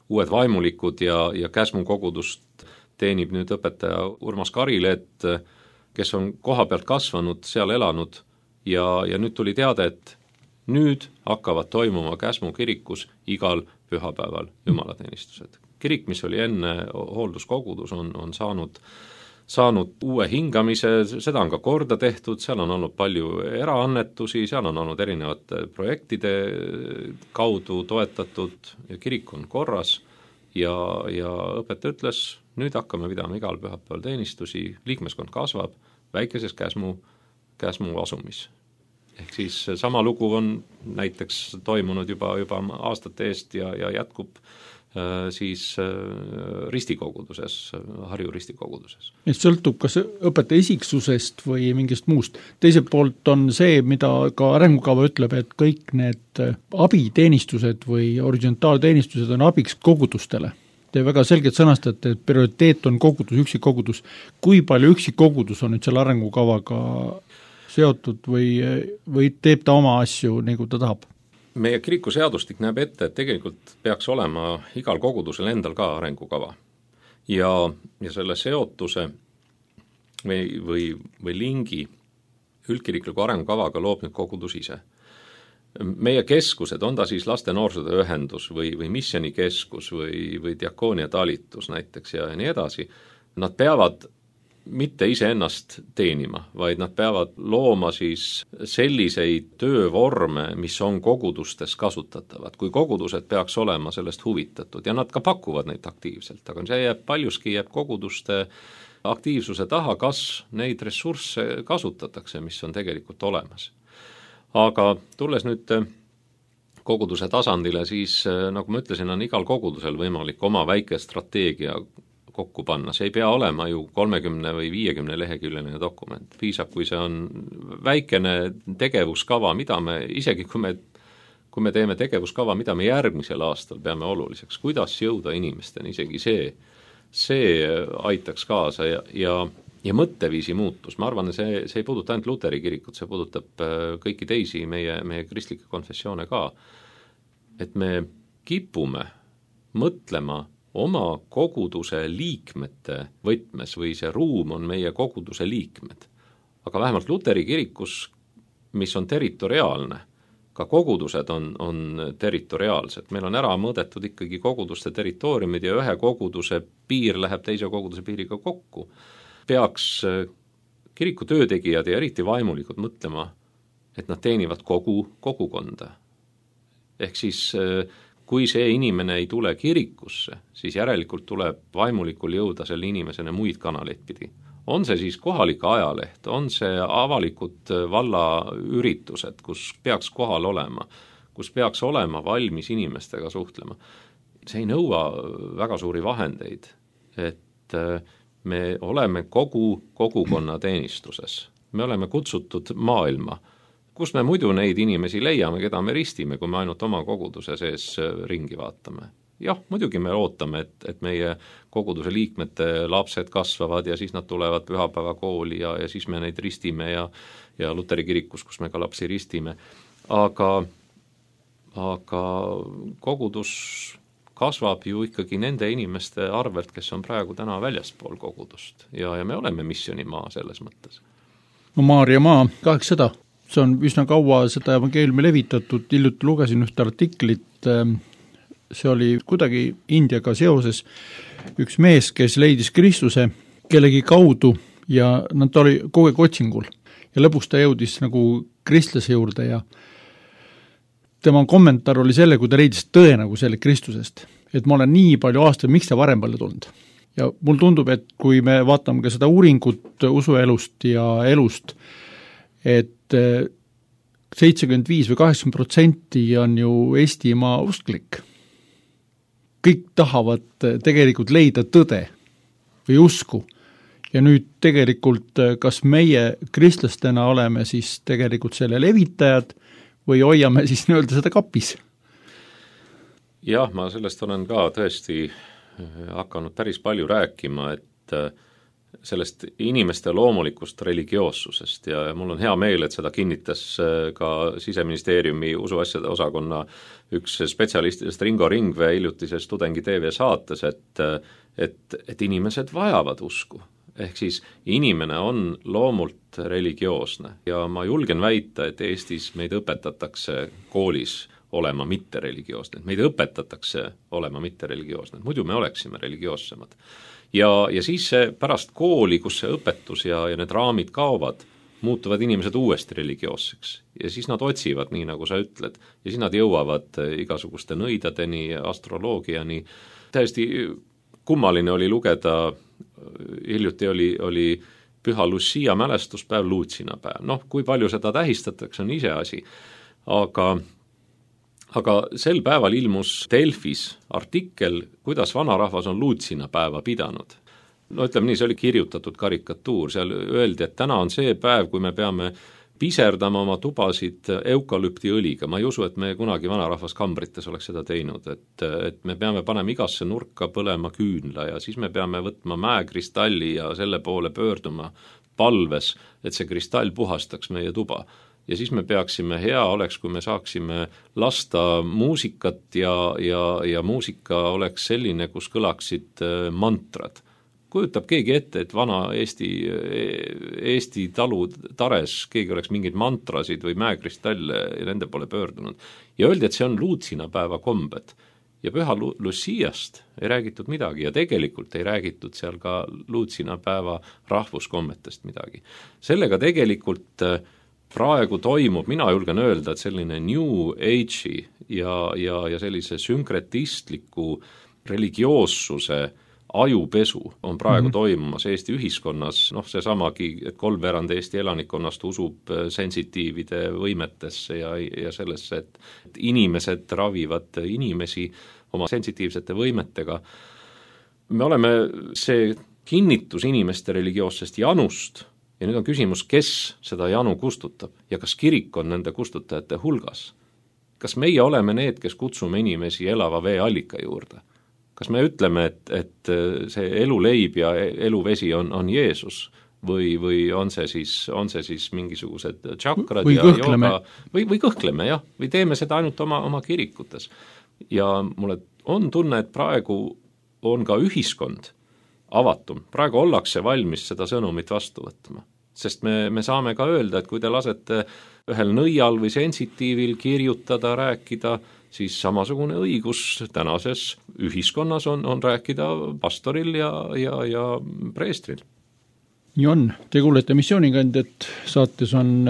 uued vaimulikud ja Käsmu kogudust teenib nüüd õpetaja Urmas Karileet, kes on koha pealt kasvanud, seal elanud ja nüüd tuli teade, et nüüd hakkavad toimuma Käsmu kirikus igal pühapäeval jumalateenistused. Kirik, mis oli enne hoolduskogudus, on saanud uue hingamise, seda on ka korda tehtud, seal on olnud palju eraannetusi, seal on olnud erinevate projektide kaudu toetatud ja kirik on korras ja õpetaja ütles, nüüd hakkame pidama igal pühapäeval teenistusi, liikmeskond kasvab väikeses Käsmu asumis. Ehk siis sama lugu on näiteks toimunud juba aastate eest ja jätkub siis ristikoguduses, Harju ristikoguduses. Et sõltub kas õpetaja isiksusest või mingist muust. Teiselt poolt on see, mida ka arengukava ütleb, et kõik need abiteenistused või horisontaalteenistused on abiks kogudustele. Te väga selgelt sõnastate, et prioriteet on kogudus, üksikkogudus. Kui palju üksikkogudus on nüüd selle arengukavaga seotud või teeb ta oma asju, nagu ta tahab? Meie kirikuseadustik näeb ette, et tegelikult peaks olema igal kogudusel endal ka arengukava. Ja selle seotuse või lingi üldkirikliku arengukavaga loob nüüd kogudus ise. Meie keskused, on ta siis laste noorsootöö ühendus või missionikeskus või diakoonia talitus näiteks ja nii edasi, nad peavad mitte iseennast teenima, vaid nad peavad looma siis selliseid töövorme, mis on kogudustes kasutatavad, kui kogudused peaks olema sellest huvitatud ja nad ka pakuvad neid aktiivselt, aga see paljuski jääb koguduste aktiivsuse taha, kas neid ressursse kasutatakse, mis on tegelikult olemas. Aga tulles nüüd koguduse tasandile, siis nagu ma ütlesin, on igal kogudusel võimalik oma väike strateegia kokku panna. See ei pea olema ju 30 või 50 leheküljeline dokument. Piisab, kui see on väikene tegevuskava, mida me, isegi kui me teeme tegevuskava, mida me järgmisel aastal peame oluliseks, kuidas jõuda inimesteni, isegi see aitaks kaasa ja mõtteviisi muutus. Ma arvan, see ei puuduta ainult Luteri kirikut, see puudutab kõiki teisi meie kristlikke konfessioone ka, et me kipume mõtlema oma koguduse liikmete võtmes või see ruum on meie koguduse liikmed. Aga vähemalt Luteri kirikus, mis on territoriaalne, ka kogudused on territoriaalsed. Meil on ära mõõdetud ikkagi koguduste territooriumid ja ühe koguduse piir läheb teise koguduse piiriga kokku. Peaks kiriku töötegijad ja eriti vaimulikud mõtlema, et nad teenivad kogukonda. Ehk siis kui see inimene ei tule kirikusse, siis järelikult tuleb vaimulikul jõuda selle inimesena muid kanaleid pidi. On see siis kohalik ajaleht, on see avalikud vallaüritused, kus peaks kohal olema, kus peaks olema valmis inimestega suhtlema. See ei nõua väga suuri vahendeid, et me oleme kogukonna teenistuses. Me oleme kutsutud maailma, kus me muidu neid inimesi leiame, keda me ristime, kui me ainult oma koguduse sees ringi vaatame. Jah, muidugi me ootame, et meie koguduse liikmete lapsed kasvavad ja siis nad tulevad pühapäevakooli ja siis me neid ristime ja Luteri kirikus, kus me ka lapsi ristime. aga kogudus kasvab ju ikkagi nende inimeste arvelt, kes on praegu täna väljaspool kogudust ja me oleme missioonimaa selles mõttes. No Maarja maa, 800, see on üsna kaua seda evangeeliumi levitatud, hiljuti lugesin ühte artiklit, see oli kuidagi Indiaga seoses üks mees, kes leidis Kristuse kellegi kaudu ja ta oli kogu aeg otsingul ja lõpuks ta jõudis nagu kristlase juurde ja tema kommentaar oli selle, kui ta leidis tõe nagu selle Kristusest, et ma olen nii palju aastaid, miks ta varem pole tulnud. Ja mul tundub, et kui me vaatame ka seda uuringut usuelust ja elust, et 75 või 80% on ju Eestimaa usklik. Kõik tahavad tegelikult leida tõde või usku. Ja nüüd tegelikult, kas meie kristlastena oleme siis tegelikult selle levitajad või hoiame siis nii-öelda seda kapis? Jah, ma sellest olen ka tõesti hakanud päris palju rääkima, et sellest inimeste loomulikust religioossusest ja mul on hea meel, et seda kinnitas ka Siseministeeriumi usuasjade osakonna üks spetsialistidest Ringo Ringvee hiljutises Tudengi TV saates, et inimesed vajavad usku. Ehk siis inimene on loomult religioosne ja ma julgen väita, et Eestis meid õpetatakse koolis olema mitte religioosne. Meid õpetatakse olema mitte religioosne. Muidu me oleksime religioossemad. Ja siis pärast kooli, kus see õpetus ja need raamid kaovad, muutuvad inimesed uuesti religioosseks. Ja siis nad otsivad, nii nagu sa ütled. Ja siis nad jõuavad igasuguste nõidadeni, astroloogiani. Täiesti kummaline oli lugeda, hiljuti oli Püha Lucia mälestuspäev, Luutsinapäev. Kui palju seda tähistatakse, on ise asi. Aga sel päeval ilmus Delfis artikkel, kuidas vanarahvas on Luutsinapäeva pidanud. Ütleme nii, see oli kirjutatud karikatuur. Seal öeldi, et täna on see päev, kui me peame piserdama oma tubasid eukalüptiõliga. Ma ei usu, et me kunagi vanarahvas kambrites oleks seda teinud, et me peame panema igasse nurka põlema küünla ja siis me peame võtma mäekristalli ja selle poole pöörduma palves, et see kristall puhastaks meie tuba. Ja siis me peaksime, hea oleks, kui me saaksime lasta muusikat ja muusika oleks selline, kus kõlaksid mantrad. Kujutab keegi ette, et vana Eesti talu tares keegi oleks mingeid mantrasid või mäekristalle nende poole pöördunud. Ja öeldi, et see on Luutsinapäeva kombed. Ja Püha Luciast ei räägitud midagi ja tegelikult ei räägitud seal ka Luutsinapäeva rahvuskommetest midagi. Sellega tegelikult praegu toimub, mina julgen öelda, et selline New Age'i ja sellise sünkretistliku religioossuse ajupesu on praegu toimumas Eesti ühiskonnas, seesamagi, et 3/4 Eesti elanikkonnast usub sensitiivide võimetesse ja sellesse, et inimesed ravivad inimesi oma sensitiivsete võimetega. Me oleme see kinnitus inimeste religioossest janust ja nüüd on küsimus, kes seda janu kustutab ja kas kirik on nende kustutajate hulgas. Kas meie oleme need, kes kutsume inimesi elava vee allika juurde? Kas me ütleme, et see eluleib ja eluvesi on Jeesus või on see siis mingisugused tšakrad või ja kõhkleme. Jooga või kõhkleme, jah, või teeme seda ainult oma kirikutes. Ja mulle on tunne, et praegu on ka ühiskond avatum. Praegu ollakse valmis seda sõnumit vastu võtma. Sest me saame ka öelda, et kui te lasete ühel nõial või sensitiivil kirjutada, rääkida, siis samasugune õigus tänases ühiskonnas on rääkida pastoril ja preestril. Nii on. Te kuulete Missioonikandjat, saates on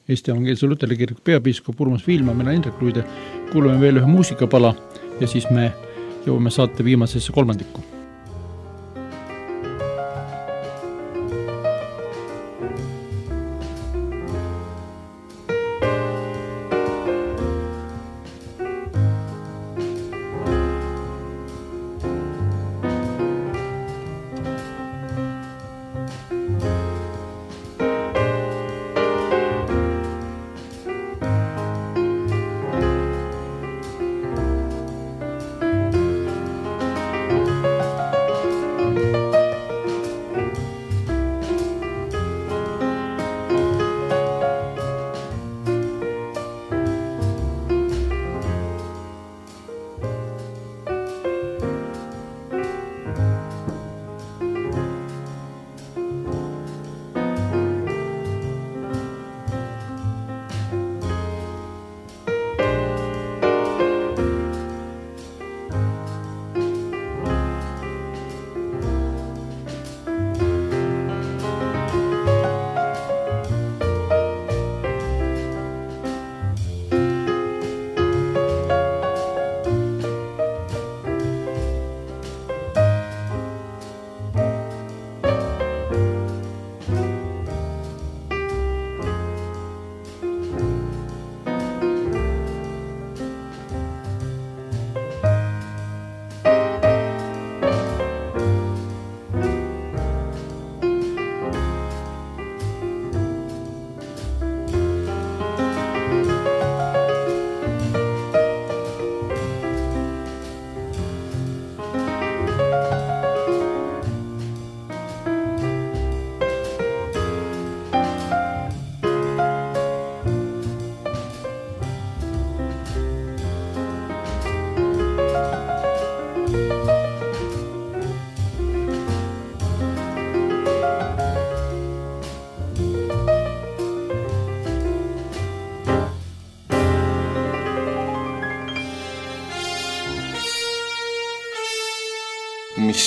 Eesti Evangeelse Luteri Kiriku peapiiskop Urmas Viilma, mina Indrek Luide. Kuuleme veel ühe muusikapala ja siis me jõuame saate viimasesse kolmandikku.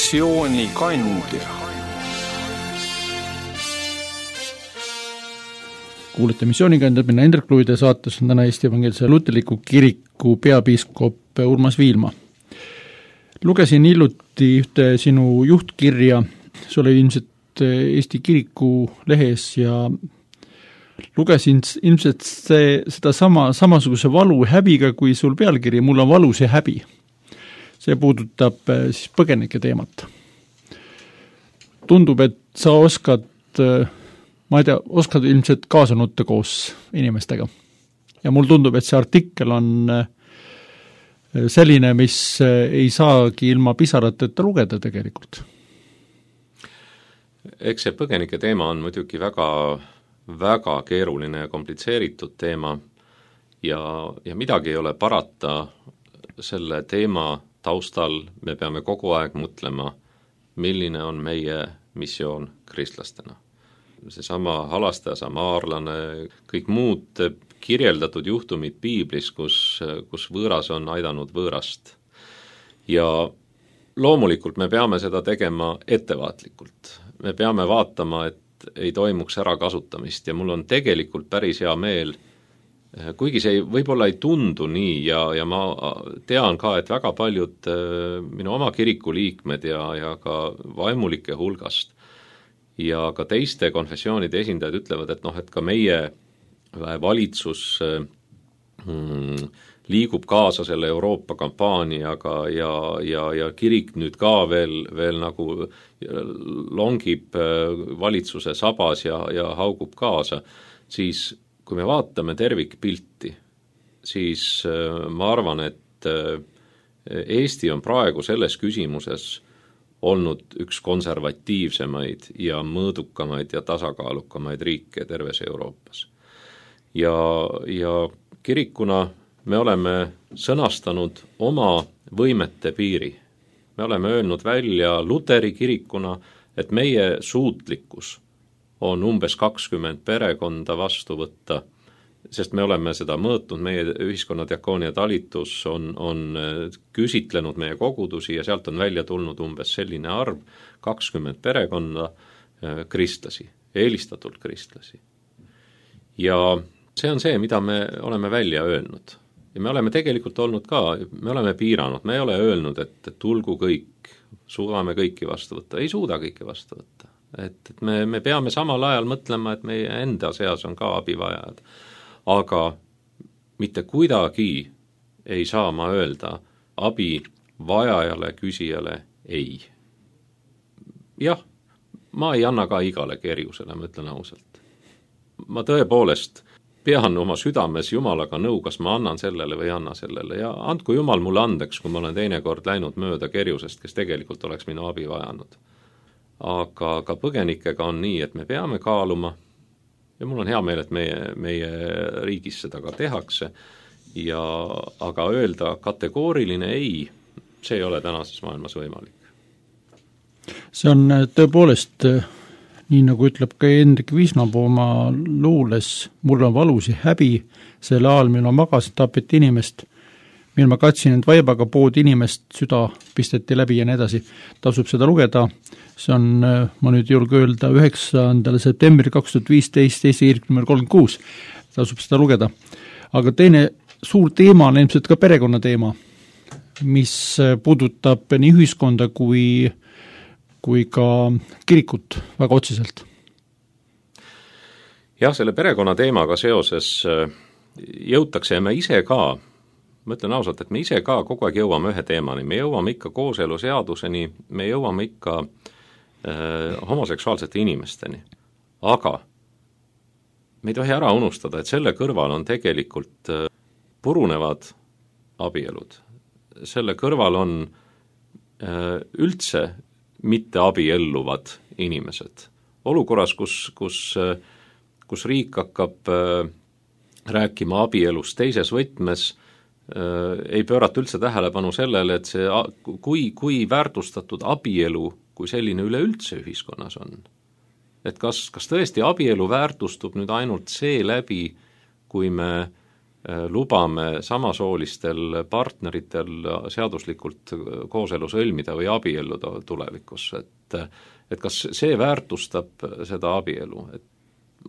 missioonikandja. Kuulete missioonikandjad, minna Hendrik Luide, saates on täna Eesti Evangeelse Luterliku Kiriku peapiiskop Urmas Viilma. Lugesin hiljuti ühte sinu juhtkirja, see oli ilmselt Eesti Kiriku lehes ja lugesin ilmselt seda samasuguse valu häbiga kui sul pealkiri, mul on valus ja häbi. See puudutab siis põgenike teemat. Tundub, et sa oskad ilmselt kaasa nutta koos inimestega. Ja mul tundub, et see artikkel on selline, mis ei saagi ilma pisarateta lugeda tegelikult. Eks see põgenike teema on muidugi väga, väga keeruline ja komplitseeritud teema ja midagi ei ole parata selle teema taustal. Me peame kogu aeg mõtlema, milline on meie missioon kristlastena. Seesama halastaja, samaarlane, kõik muud kirjeldatud juhtumid piiblis, kus võõras on aidanud võõrast. Ja loomulikult me peame seda tegema ettevaatlikult. Me peame vaatama, et ei toimuks ärakasutamist ja mul on tegelikult päris hea meel, kuigi see võib-olla ei tundu nii ja ma tean ka, et väga paljud minu oma kiriku liikmed ja ka vaimulike hulgast ja ka teiste konfessioonide esindajad ütlevad, et et ka meie valitsus liigub kaasa selle Euroopa kampaaniaga ja kirik nüüd ka veel nagu longib valitsuse sabas ja haugub kaasa, siis kui me vaatame tervikpilti, siis ma arvan, et Eesti on praegu selles küsimuses olnud üks konservatiivsemaid ja mõõdukamaid ja tasakaalukamaid riike terves Euroopas. Ja kirikuna me oleme sõnastanud oma võimete piiri. Me oleme öelnud välja Luteri kirikuna, et meie suutlikkus on umbes 20 perekonda vastu võtta, sest me oleme seda mõõtnud, meie ühiskonna diakoonia talitus on küsitlenud meie kogudusi ja sealt on välja tulnud umbes selline arv, 20 perekonda kristlasi, eelistatult kristlasi. Ja see on see, mida me oleme välja öelnud. Ja me oleme tegelikult olnud ka, me oleme piiranud, me ei ole öelnud, et tulgu kõik, suudame kõiki vastu võtta, ei suuda kõiki vastu võtta. Et me peame samal ajal mõtlema, et meie enda seas on ka abivajajad. Aga mitte kuidagi ei saa ma öelda abivajajale, küsijale ei. Jah, ma ei anna ka igale kerjusele, ma ütlen ausalt. Ma tõepoolest pean oma südames Jumalaga nõu, kas ma annan sellele või anna sellele ja andku Jumal mulle andeks, kui ma olen teinekord läinud mööda kerjusest, kes tegelikult oleks minu abi vajanud. Aga ka põgenikega on nii, et me peame kaaluma ja mul on hea meel, et meie riigis seda ka tehakse aga öelda kategooriline ei, see ei ole tänases maailmas võimalik. See on tõepoolest, nii nagu ütleb ka Hendrik Visnapuu oma luules, mul on valus ja häbi, selle ajal, mil ma magasin, tapeti inimest, mil ma katsin, et vaibaga pood inimest, süda pisteti läbi ja nii edasi. Tasub seda lugeda, see on, ma nüüd julge öelda, 9. septembri 2015, Eesti Kirik nr 36, tasub seda lugeda. Aga teine suur teema on ilmselt ka perekonna teema, mis puudutab nii ühiskonda kui ka kirikut väga otseselt. Jah, selle perekonna teemaga seoses jõutakse ja me ise ka, ma ütlen ausalt, et me ise ka kogu aeg jõuame ühe teemani, me jõuame ikka kooseluseaduseni, me jõuame ikka homoseksuaalsete inimesteni, aga me ei tohi ära unustada, et selle kõrval on tegelikult purunevad abielud. Selle kõrval on üldse mitte abielluvad inimesed. Olukorras, kus riik hakkab rääkima abielust teises võtmes, ei pöörata üldse tähelepanu sellele, et see, kui väärtustatud abielu, kui selline üleüldse ühiskonnas on. Et kas tõesti abielu väärtustub nüüd ainult see läbi, kui me lubame samasoolistel partneritel seaduslikult kooselu sõlmida või abielluda tulevikus, et kas see väärtustab seda abielu, et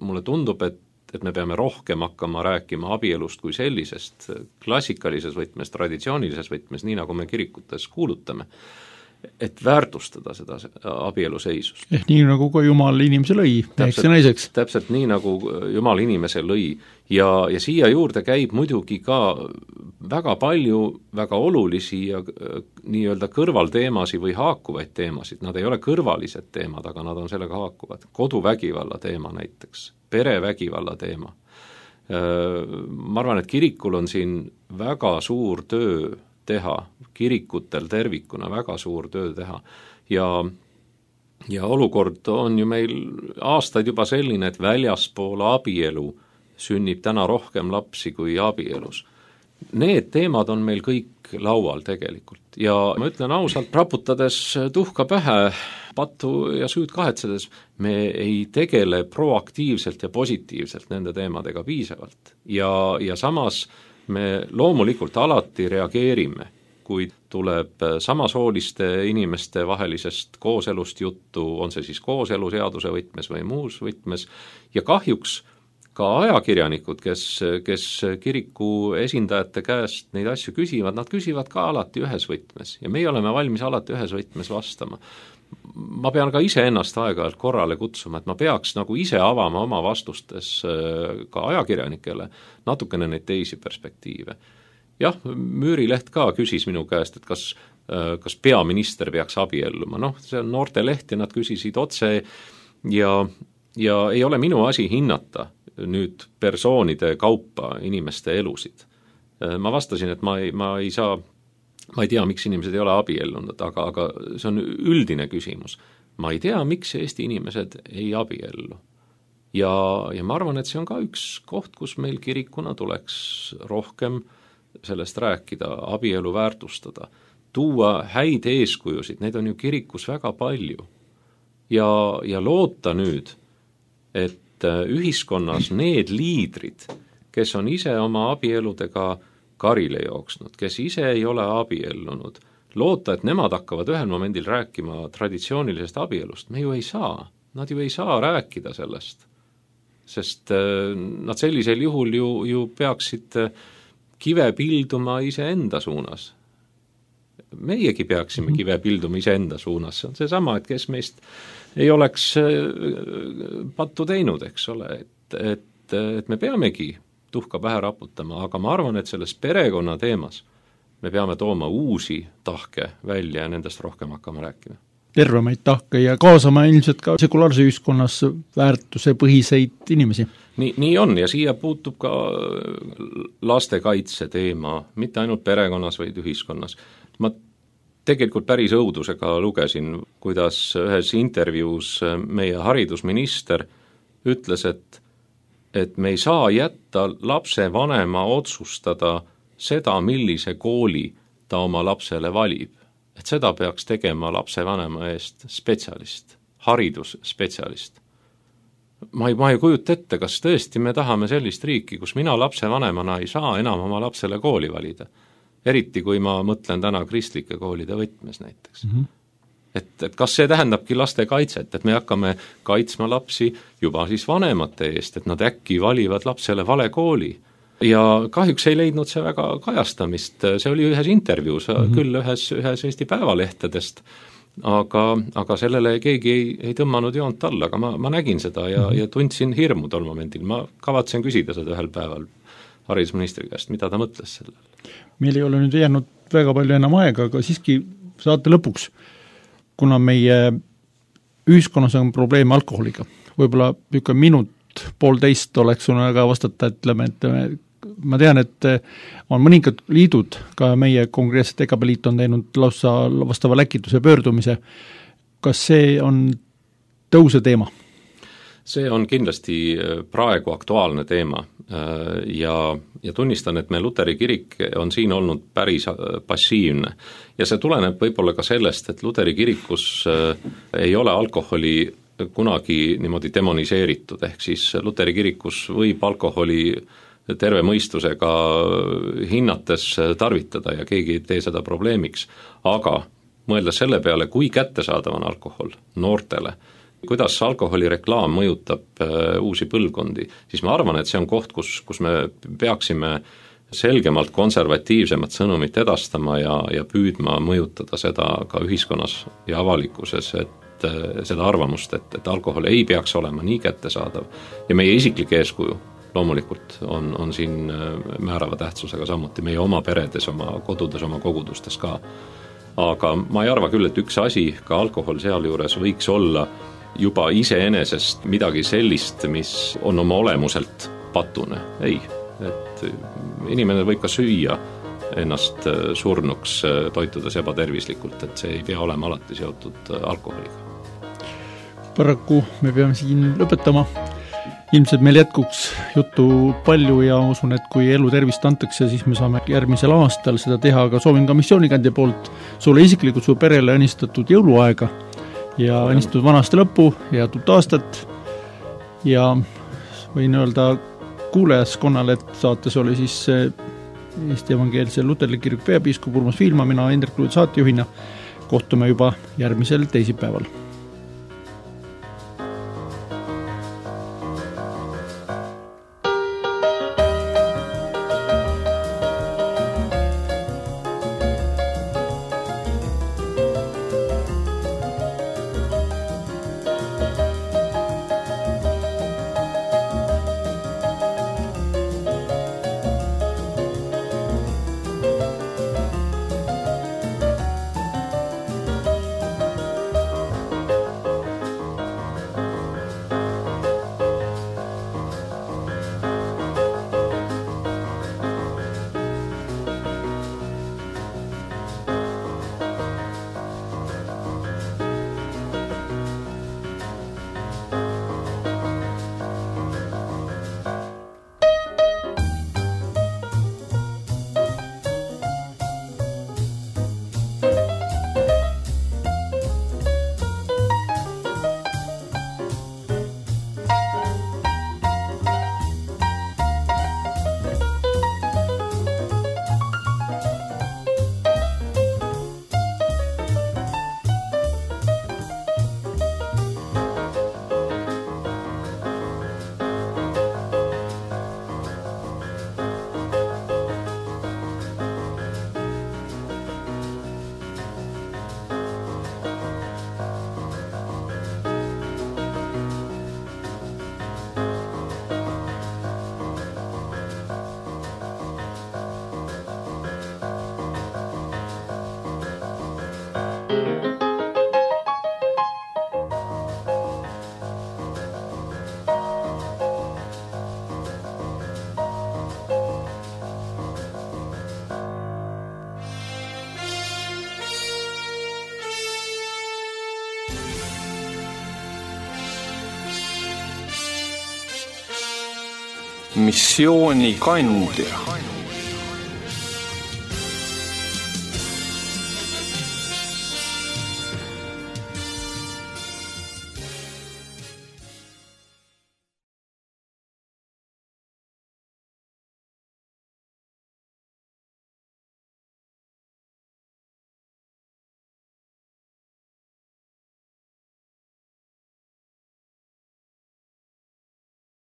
mulle tundub, et me peame rohkem hakkama rääkima abielust kui sellisest klassikalises võtmes, traditsioonilises võtmes, nii nagu me kirikutes kuulutame, et väärtustada seda abielu seisust. Nii nagu ka Jumal inimese lõi, meheks ja naiseks. Täpselt nii nagu Jumal inimese lõi ja siia juurde käib muidugi ka väga palju väga olulisi ja nii-öelda kõrvalteemasid või haakuvaid teemasid, nad ei ole kõrvalised teemad, aga nad on sellega haakuvad. Koduvägivalla teema näiteks, perevägivalla teema. Ma arvan, et kirikul on siin väga suur töö teha, kirikutel tervikuna väga suur töö teha ja olukord on ju meil aastaid juba selline, et väljaspool abielu sünnib täna rohkem lapsi kui abielus. Need teemad on meil kõik laual tegelikult ja ma ütlen ausalt, raputades tuhka pähe, pattu ja süüd kahetsedes, me ei tegele proaktiivselt ja positiivselt nende teemadega piisavalt ja samas me loomulikult alati reageerime, kui tuleb samasooliste inimeste vahelisest kooselust juttu, on see siis kooseluseaduse võtmes või muus võtmes, ja kahjuks ka ajakirjanikud, kes kiriku esindajate käest neid asju küsivad, nad küsivad ka alati ühes võtmes ja meie oleme valmis alati ühes võtmes vastama. Ma pean ka ise ennast aeg-ajalt korrale kutsuma, et ma peaks nagu ise avama oma vastustes ka ajakirjanikele natukene neid teisi perspektiive. Jah, Müürileht ka küsis minu käest, et kas peaminister peaks abielluma. See on noorteleht ja nad küsisid otse ja ei ole minu asi hinnata nüüd persoonide kaupa inimeste elusid. Ma vastasin, et ma ei tea, miks inimesed ei ole abiellunud, aga see on üldine küsimus. Ma ei tea, miks Eesti inimesed ei abiellu. Ja ma arvan, et see on ka üks koht, kus meil kirikuna tuleks rohkem sellest rääkida, abielu väärtustada, tuua häid eeskujusid, neid on ju kirikus väga palju. Ja loota nüüd, et ühiskonnas need liidrid, kes on ise oma abieludega karile jooksnud, kes ise ei ole abiellunud, loota, et nemad hakkavad ühel momendil rääkima traditsioonilisest abielust, me ju ei saa. Nad ju ei saa rääkida sellest, sest nad sellisel juhul ju peaksid kive pilduma iseenda suunas. Meiegi peaksime kive pilduma iseenda suunas, see on seesama, et kes meist ei oleks pattu teinud, eks ole, et me peamegi tuhka pähe raputama, aga ma arvan, et selles perekonna teemas me peame tooma uusi tahke välja ja nendest rohkem hakkama rääkima. Tervemaid tahke ja kaasama ilmselt ka sekulaarse ühiskonnas väärtuse põhiseid inimesi. Nii on ja siia puutub ka lastekaitse teema, mitte ainult perekonnas, vaid ühiskonnas. Ma tegelikult päris õudusega lugesin, kuidas ühes intervjuus meie haridusminister ütles, et me ei saa jätta lapse vanema otsustada seda, millise kooli ta oma lapsele valib. Et seda peaks tegema lapse vanema eest spetsialist, haridusspetsialist. Ma ei kujuta ette, kas tõesti me tahame sellist riiki, kus mina lapse vanemana ei saa enam oma lapsele kooli valida. Eriti kui ma mõtlen täna kristlike koolide võtmes näiteks. Mm-hmm. Et kas see tähendabki laste kaitset, et me hakkame kaitsma lapsi juba siis vanemate eest, et nad äkki valivad lapsele vale kooli. Ja kahjuks ei leidnud see väga kajastamist, see oli ühes intervjuus, küll ühes Eesti päevalehtedest, aga sellele keegi ei tõmmanud joont alla, aga ma nägin seda ja tundsin hirmu tol momendil, ma kavatsen küsida seda ühel päeval haridusministri käest, mida ta mõtles sellel. Meil ei ole nüüd jäänud väga palju enam aega, aga siiski saate lõpuks, kuna meie ühiskonnas on probleeme alkoholiga, võib-olla üks minut, poolteist oleks sul aga vastata, ütleme, et ma tean, et on mõningad liidud, ka meie konkreetselt EKP liit on teinud lausa vastava läkituse pöördumise. Kas see on tõuse teema? See on kindlasti praegu aktuaalne teema ja tunnistan, et me Luteri kirik on siin olnud päris passiivne ja see tuleneb võib-olla ka sellest, et Luteri kirikus ei ole alkoholi kunagi niimoodi demoniseeritud, ehk siis Luteri kirikus võib alkoholi terve mõistusega hinnates tarvitada ja keegi ei tee seda probleemiks, aga mõeldes selle peale, kui kättesaadav on alkohol noortele, kuidas alkoholireklaam mõjutab uusi põlvkondi, siis ma arvan, et see on koht, kus me peaksime selgemalt konservatiivsemat sõnumit edastama ja püüdma mõjutada seda ka ühiskonnas ja avalikkuses, et seda arvamust, et alkohol ei peaks olema nii kättesaadav ja meie isiklik eeskuju loomulikult on siin määrava tähtsusega samuti meie oma peredes, oma kodudes, oma kogudustes ka. Aga ma ei arva küll, et üks asi, ka alkohol sealjuures võiks olla juba iseenesest midagi sellist, mis on oma olemuselt patune. Ei, et inimene võib ka süüa ennast surnuks, toitudes ebatervislikult, et see ei pea olema alati seotud alkoholiga. Paraku me peame siin lõpetama. Ilmselt meil jätkuks juttu palju ja usun, et kui elu tervist antakse, siis me saame järgmisel aastal seda teha, aga soovin ka missioonikandja poolt sulle isiklikult su perele õnnistatud jõuluaega ja õnnistatud vanast lõppu ja tuut aastat ja võin öelda kuulajaskonnale, et saates oli siis Eesti Evangeelse Luterliku Kiriku peapiiskop Urmas Viilma, mina Indrek Luud saatejuhina. Kohtume juba järgmisel teisipäeval. Missioonikandja.